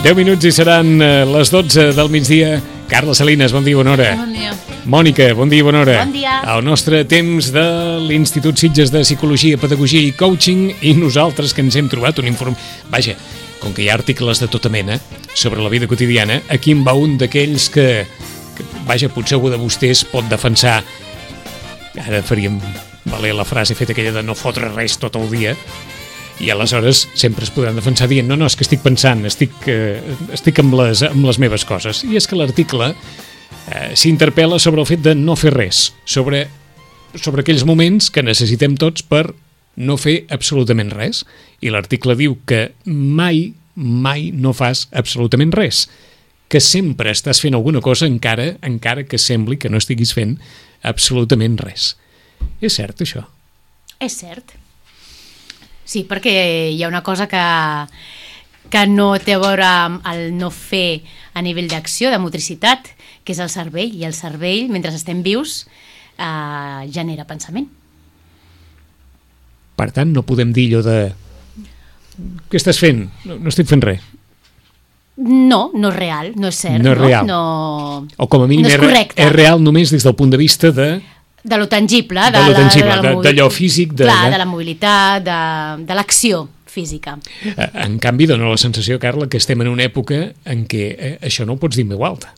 10 minuts i seran les 12 del migdia. Carla Salinas, bon dia, bona hora. Bon dia. Mònica, bon dia, bona hora. Bon dia. El nostre temps de l'Institut Sitges de Psicologia, Pedagogia i Coaching, i nosaltres que ens hem trobat un informe... Vaja, com que hi ha articles de tota mena sobre la vida quotidiana, aquí en va un d'aquells que vaja, potser algú de vostès pot defensar, ara faríem valer la frase feta aquella de no fotre res tot el dia, i aleshores sempre es podran defensar dient no, és que estic pensant, estic amb les meves coses. I és que l'article s'interpel·la sobre el fet de no fer res, sobre aquells moments que necessitem tots per no fer absolutament res. I l'article diu que mai no fas absolutament res, que sempre estàs fent alguna cosa encara que sembli que no estiguis fent absolutament res. És cert, això? És cert. Sí, perquè hi ha una cosa que no té a veure amb el no fer a nivell d'acció, de motricitat, que és el cervell, i el cervell, mentre estem vius, genera pensament. Per tant, no podem dir allò de... Què estàs fent? No estic fent res. No és real, no és cert. No és real. O com a mínim no és correcte. És real només des del punt de vista de lo tangible, d'allò físic, de la mobilitat, de l'acció física. En canvi, dona la sensació, Carla, que estem en una època en què això no ho pots dir en veu alta.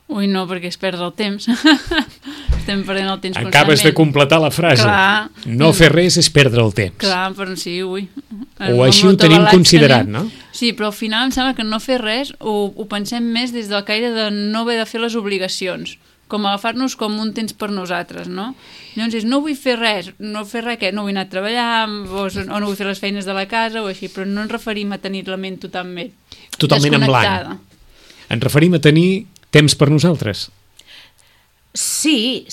Ui, no, perquè és perdre el temps. Estem perdent el temps constantment. Acabes de completar la frase. Clar. No fer res és perdre el temps. Clar, però sí, ui. O així ho tenim considerat, no? Sí, però al final em sembla que no fer res ho pensem més des del caire de no haver de fer les obligacions, com agafar-nos com un temps per nosaltres, no? Llavors no vull fer res, no vull anar a treballar o no vull fer les feines de la casa o així, però no ens referim a tenir la ment totalment en blanc. Ens referim a tenir temps per nosaltres. Sí,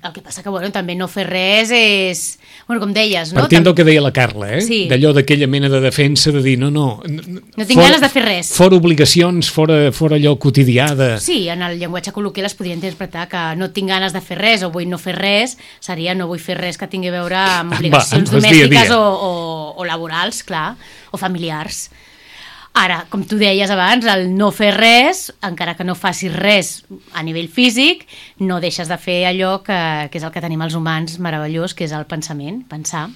el que passa que també no fer res és... com deies, no? Partint del que deia la Carla, Sí. D'allò d'aquella mena de defensa de dir no tinc ganes de fer res. Fora obligacions, fora allò quotidià de... Sí, en el llenguatge col·loquial es podria interpretar que no tinc ganes de fer res o vull no fer res, seria no vull fer res que tingui a veure amb obligacions domèstiques o laborals, clar, o familiars. Ara, com tu deies abans, el no fer res, encara que no facis res a nivell físic, no deixes de fer allò que és el que tenim els humans meravellós, que és el pensament, pensar.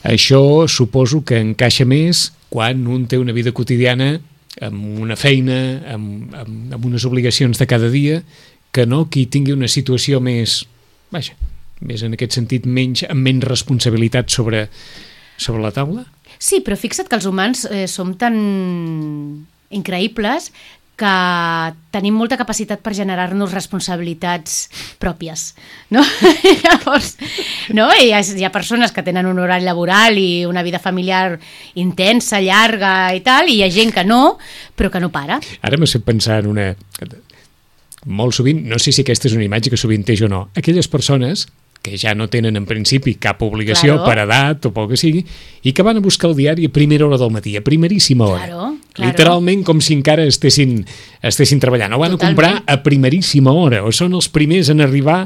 Això suposo que encaixa més quan un té una vida quotidiana amb una feina, amb unes obligacions de cada dia, que no qui tingui una situació més en aquest sentit, amb menys responsabilitat sobre la taula? Sí, però fixa't que els humans som tan increïbles que tenim molta capacitat per generar-nos responsabilitats pròpies, no? Llavors, no? Hi ha persones que tenen un horari laboral i una vida familiar intensa, llarga i tal, i hi ha gent que no, però que no para. Ara m'he fet pensar en una... Molt sovint, no sé si aquesta és una imatge que sovinteix o no, aquelles persones que ja no tenen en principi cap obligació per edat o pel que sigui, i que van a buscar el diari a primera hora del matí, a primeríssima hora. Claro. Literalment com si encara estessin treballant. O van a comprar a primeríssima hora, o són els primers en arribar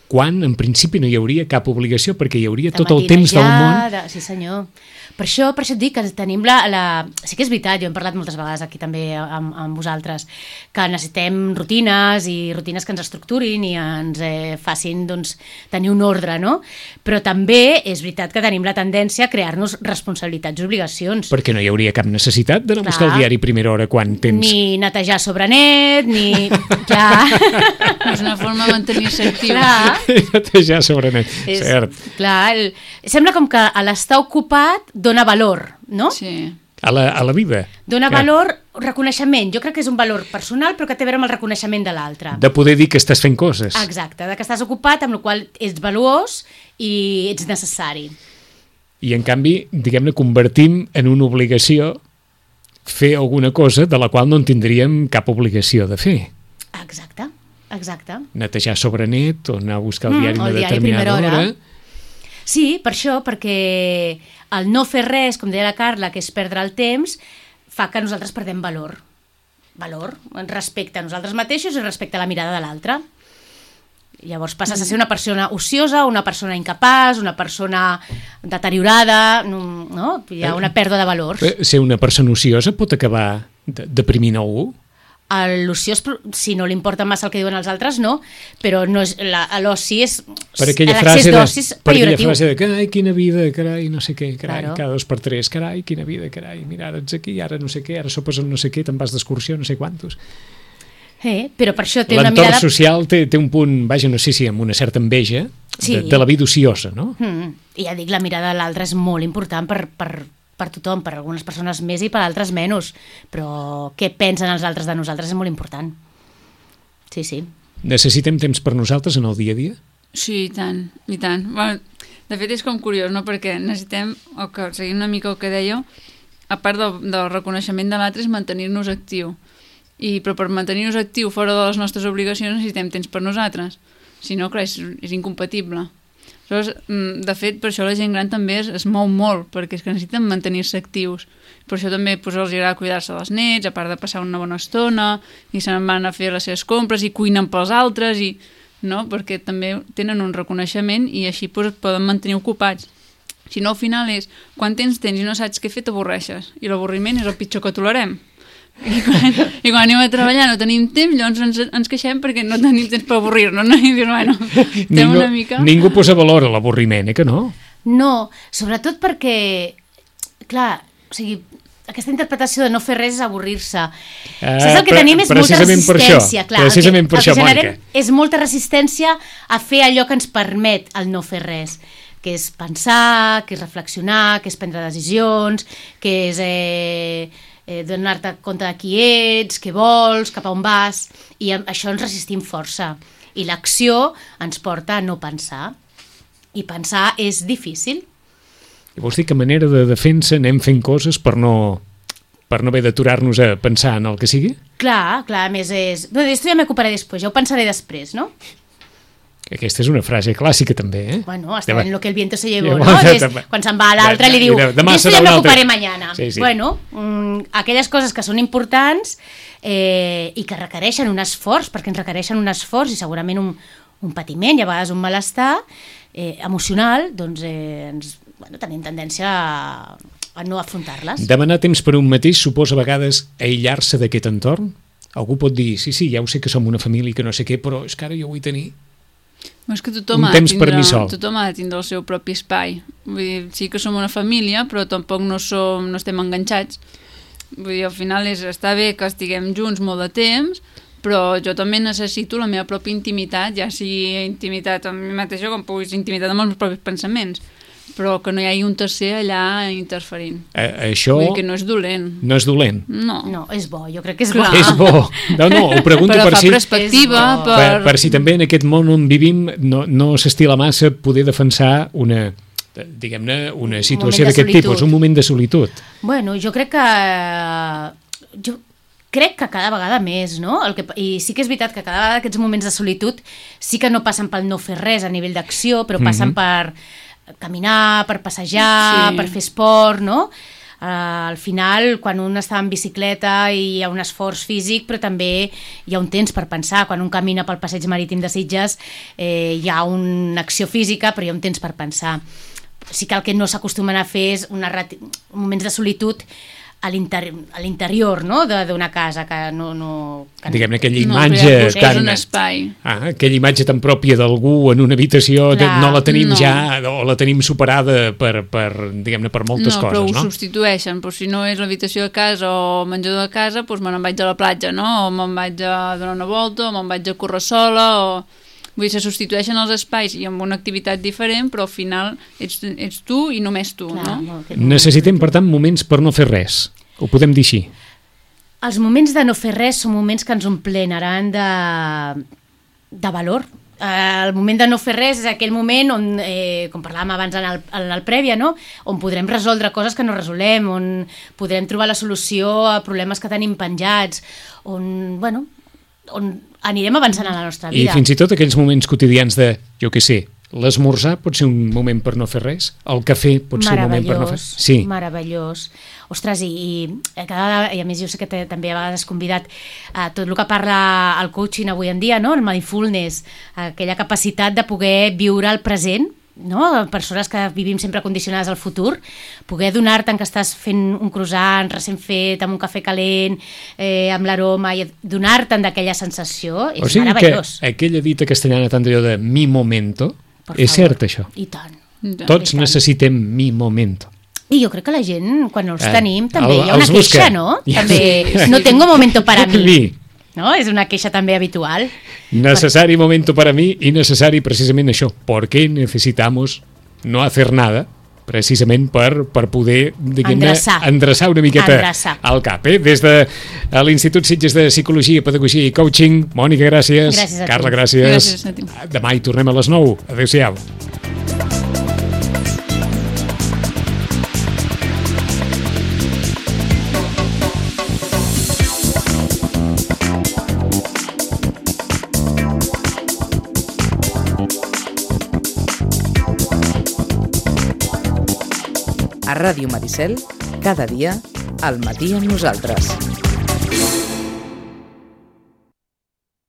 quan en principi no hi hauria cap obligació perquè hi hauria tot el temps del món. Sí, senyor. Per això et dic que tenim sí que és veritat, jo hem parlat moltes vegades aquí també amb vosaltres, que necessitem rutines i rutines que ens estructurin i ens facin tenir un ordre, no? Però també és veritat que tenim la tendència a crear-nos responsabilitats i obligacions. Perquè no hi hauria cap necessitat d'anar a buscar el diari a primera hora quan tens... Ni netejar sobre net, ni... És una forma de mantenir-se actiu. Netejar sobre net, cert. Clar, sembla com que l'estar ocupat dona valor, no? Sí. A la vida. Dona valor, reconeixement. Jo crec que és un valor personal, però que té a veure amb el reconeixement de l'altre. De poder dir que estàs fent coses. Exacte, de que estàs ocupat, amb la qual ets valuós i ets necessari. I en canvi, diguem-ne, convertim en una obligació fer alguna cosa de la qual no en tindríem cap obligació de fer. Exacte. Netejar sobre net o anar a buscar el diari una determinada hora. Sí, per això, perquè el no fer res, com deia la Carla, que és perdre el temps, fa que nosaltres perdem valor respecte a nosaltres mateixos i respecte a la mirada de l'altre. Llavors passes a ser una persona ociosa, una persona incapaç, una persona deteriorada, no? Hi ha una pèrdua de valors. Ser una persona ociosa pot acabar deprimint algú? L'oci, si no li importa massa el que diuen els alres, no, però no és, l'oci és... Per aquella frase de que, ai, quina vida, carai, no sé què, carai, claro. Cada 2 per 3, carai, quina vida, carai, mira, ara ets aquí, ara no sé què, ara sopes amb no sé què, te'n vas d'excursió, no sé quantos. Però per això té una mirada... L'entorn social té un punt, vaja, no sé si amb una certa enveja de la vida ociosa, no? I ja dic, la mirada de l'altre és molt important per tothom, per algunes persones més i per altres menys, però què pensen els altres de nosaltres és molt important. Sí, sí. Necessitem temps per nosaltres en el dia a dia? Sí, i tant, i tant. Bueno, de fet és com curiós, no? Perquè necessitem, seguint una mica el que dèieu, a part del reconeixement de l'altre és mantenir-nos actiu. Però per mantenir-nos actiu fora de les nostres obligacions necessitem temps per nosaltres. Si no, clar, és incompatible. Aleshores, de fet, per això la gent gran també es mou molt, perquè és que necessiten mantenir-se actius. Per això també els agrada cuidar-se dels nets, a part de passar una bona estona, i se'n van a fer les seves compres i cuinen pels altres, no? Perquè també tenen un reconeixement i així es poden mantenir ocupats. Si no, al final és, quan tens i no saps què fer, t'avorreixes. I l'avorriment és el pitjor que tolerem. I quan anem a treballar no tenim temps, llavors ens queixem perquè no tenim temps per avorrir-nos, no? I dir, bueno, estem una mica... Ningú posa valor a l'avorriment, que no? No, sobretot perquè, clar, o sigui, aquesta interpretació de no fer res és avorrir-se. Saps el que tenim és molta resistència, clar. Precisament per això, Mònica. És molta resistència a fer allò que ens permet el no fer res, que és pensar, que és reflexionar, que és prendre decisions, que és... donar-te compte de qui ets, què vols, cap a on vas, i això ens resistim força. I l'acció ens porta a no pensar. I pensar és difícil. I vols dir que a manera de defensa anem fent coses per no haver d'aturar-nos a pensar en el que sigui? Clar, a més és... No, esto ja m'ocuparé després, ja ho pensaré després, no? Aquesta és una frase clàssica també, Bueno, hasta en lo que el viento se llevó, no? Quan se'n va a l'altre li diu, esto ja m'ocuparé mañana. Sí. Bueno, aquelles coses que són importants i que requereixen un esforç, perquè ens requereixen un esforç i segurament un patiment i a vegades un malestar emocional, doncs tenim tendència a no afrontar-les. Demanar temps per un mateix suposa a vegades aïllar-se d'aquest entorn? Algú pot dir, sí, ja ho sé que som una família i que no sé què, però és que ara jo vull tenir és que tothom ha de tindre el seu propi espai. Vull dir, sí que som una família, però tampoc no estem enganxats. Vull dir, al final està bé que estiguem junts molt de temps, però jo també necessito la meva pròpia intimitat, ja sigui intimitat amb mi mateixa com puguis intimitat amb els meus propis pensaments, però que no hi hagi un tercer allà interferint. Això... Vull dir que no és dolent. No és dolent? No, és bo, jo crec que és bo. És bo. No, ho pregunto per si... perspectiva, per si també en aquest món on vivim no s'estila massa poder defensar una situació d'aquest tipus, un moment de solitud. Bueno, jo crec que cada vegada més, no? I sí que és veritat que cada vegada aquests moments de solitud sí que no passen pel no fer res a nivell d'acció, però passen per caminar, per passejar, per fer esport, no? Al final, quan un està en bicicleta hi ha un esforç físic, però també hi ha un temps per pensar. Quan un camina pel passeig marítim de Sitges hi ha una acció física, però hi ha un temps per pensar. Sí que el que no s'acostumen a fer és moments de solitud a l'interior, no?, d'una casa que no... Diguem-ne, aquella imatge tan... un espai. Aquella imatge tan pròpia d'algú en una habitació, no la tenim ja, o la tenim superada per moltes coses, no? Però ho substitueixen, però si no és l'habitació de casa o el menjador de casa, doncs me n'en vaig a la platja, no?, o me'n vaig a donar una volta, o me'n vaig a córrer sola, o... Vull dir, se substitueixen els espais i amb una activitat diferent, però al final ets tu i només tu, no? Necessitem, per tant, moments per no fer res. Ho podem dir així? Els moments de no fer res són moments que ens omplenaran de valor. El moment de no fer res és aquell moment on, com parlàvem abans en el prèvia, no?, on podrem resoldre coses que no resolem, on podrem trobar la solució a problemes que tenim penjats, on anirem avançant a la nostra vida. I fins i tot aquells moments quotidians de, jo què sé, l'esmorzar pot ser un moment per no fer res? El cafè pot ser un moment per no fer res? Sí. Meravellós. Ostres, i a més jo sé que també a vegades has convidat a tot el que parla el coaching avui en dia, no?, el mindfulness, aquella capacitat de poder viure el present persones que vivim sempre condicionades al futur, poder donar-te que estàs fent un croissant recent fet, amb un cafè calent, amb l'aroma, i donar-te d'aquella sensació és meravellós. Que aquella dita castellana tan d'allò de mi momento, és cert això. I tant. Tots necessitem mi momento. I jo crec que la gent, quan els tenim, també hi ha una queixa, no? També, no tengo momento para mí. No? És una queixa també habitual. Necessari momento para mí i necessari precisament això. ¿Por qué necesitamos no hacer nada? Precisament per poder endreçar una miqueta al cap. Des de l'Institut Sitges de Psicologia, Pedagogia i Coaching, Mònica, gràcies. Carla, gràcies. Demà hi tornem a les 9. Adéu-siau. A Ràdio Maricel, cada dia, al matí amb nosaltres.